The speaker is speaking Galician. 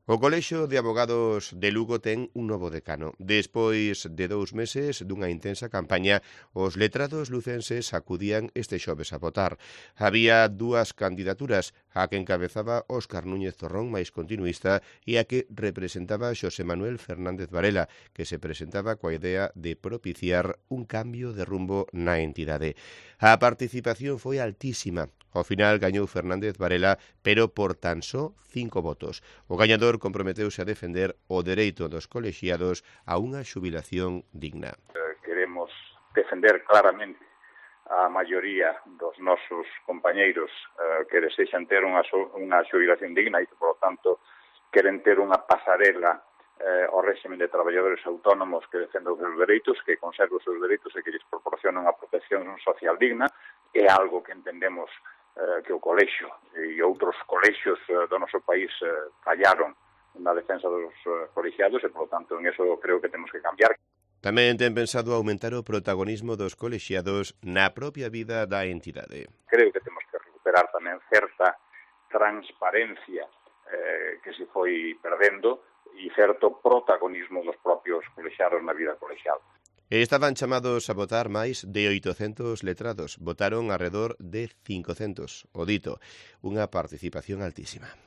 O Colexio de Abogados de Lugo ten un novo decano. Despois de 2 meses dunha intensa campaña, os letrados lucenses acudían este xoves a votar. Había dúas candidaturas, a que encabezaba Óscar Núñez Zorrón, máis continuista, e a que representaba Xosé Manuel Fernández Varela, que se presentaba coa idea de propiciar un cambio de rumbo na entidade. A participación foi altísima. Ao final gañou Fernández Varela, pero por tan só 5 votos. O gañador comprometeuse a defender o dereito dos colexiados a unha xubilación digna. Queremos defender claramente a maioría dos nosos compañeiros que desexan ter unha xubilación digna e que, por lo tanto, queren ter unha pasarela ao réxime de traballadores autónomos que defenda os seus dereitos, que conserve os seus dereitos e que lles proporciona unha protección social digna. É algo que entendemos que o colexio e outros colexios do noso país fallaron na defensa dos colexiados e, por lo tanto, en eso creo que temos que cambiar. Tamén ten pensado aumentar o protagonismo dos colexiados na propia vida da entidade. Creo que temos que recuperar tamén certa transparencia que se foi perdendo e certo protagonismo dos propios colexiados na vida colexial. Estaban chamados a votar máis de 800 letrados. Votaron arredor de 500. O dito, unha participación altísima.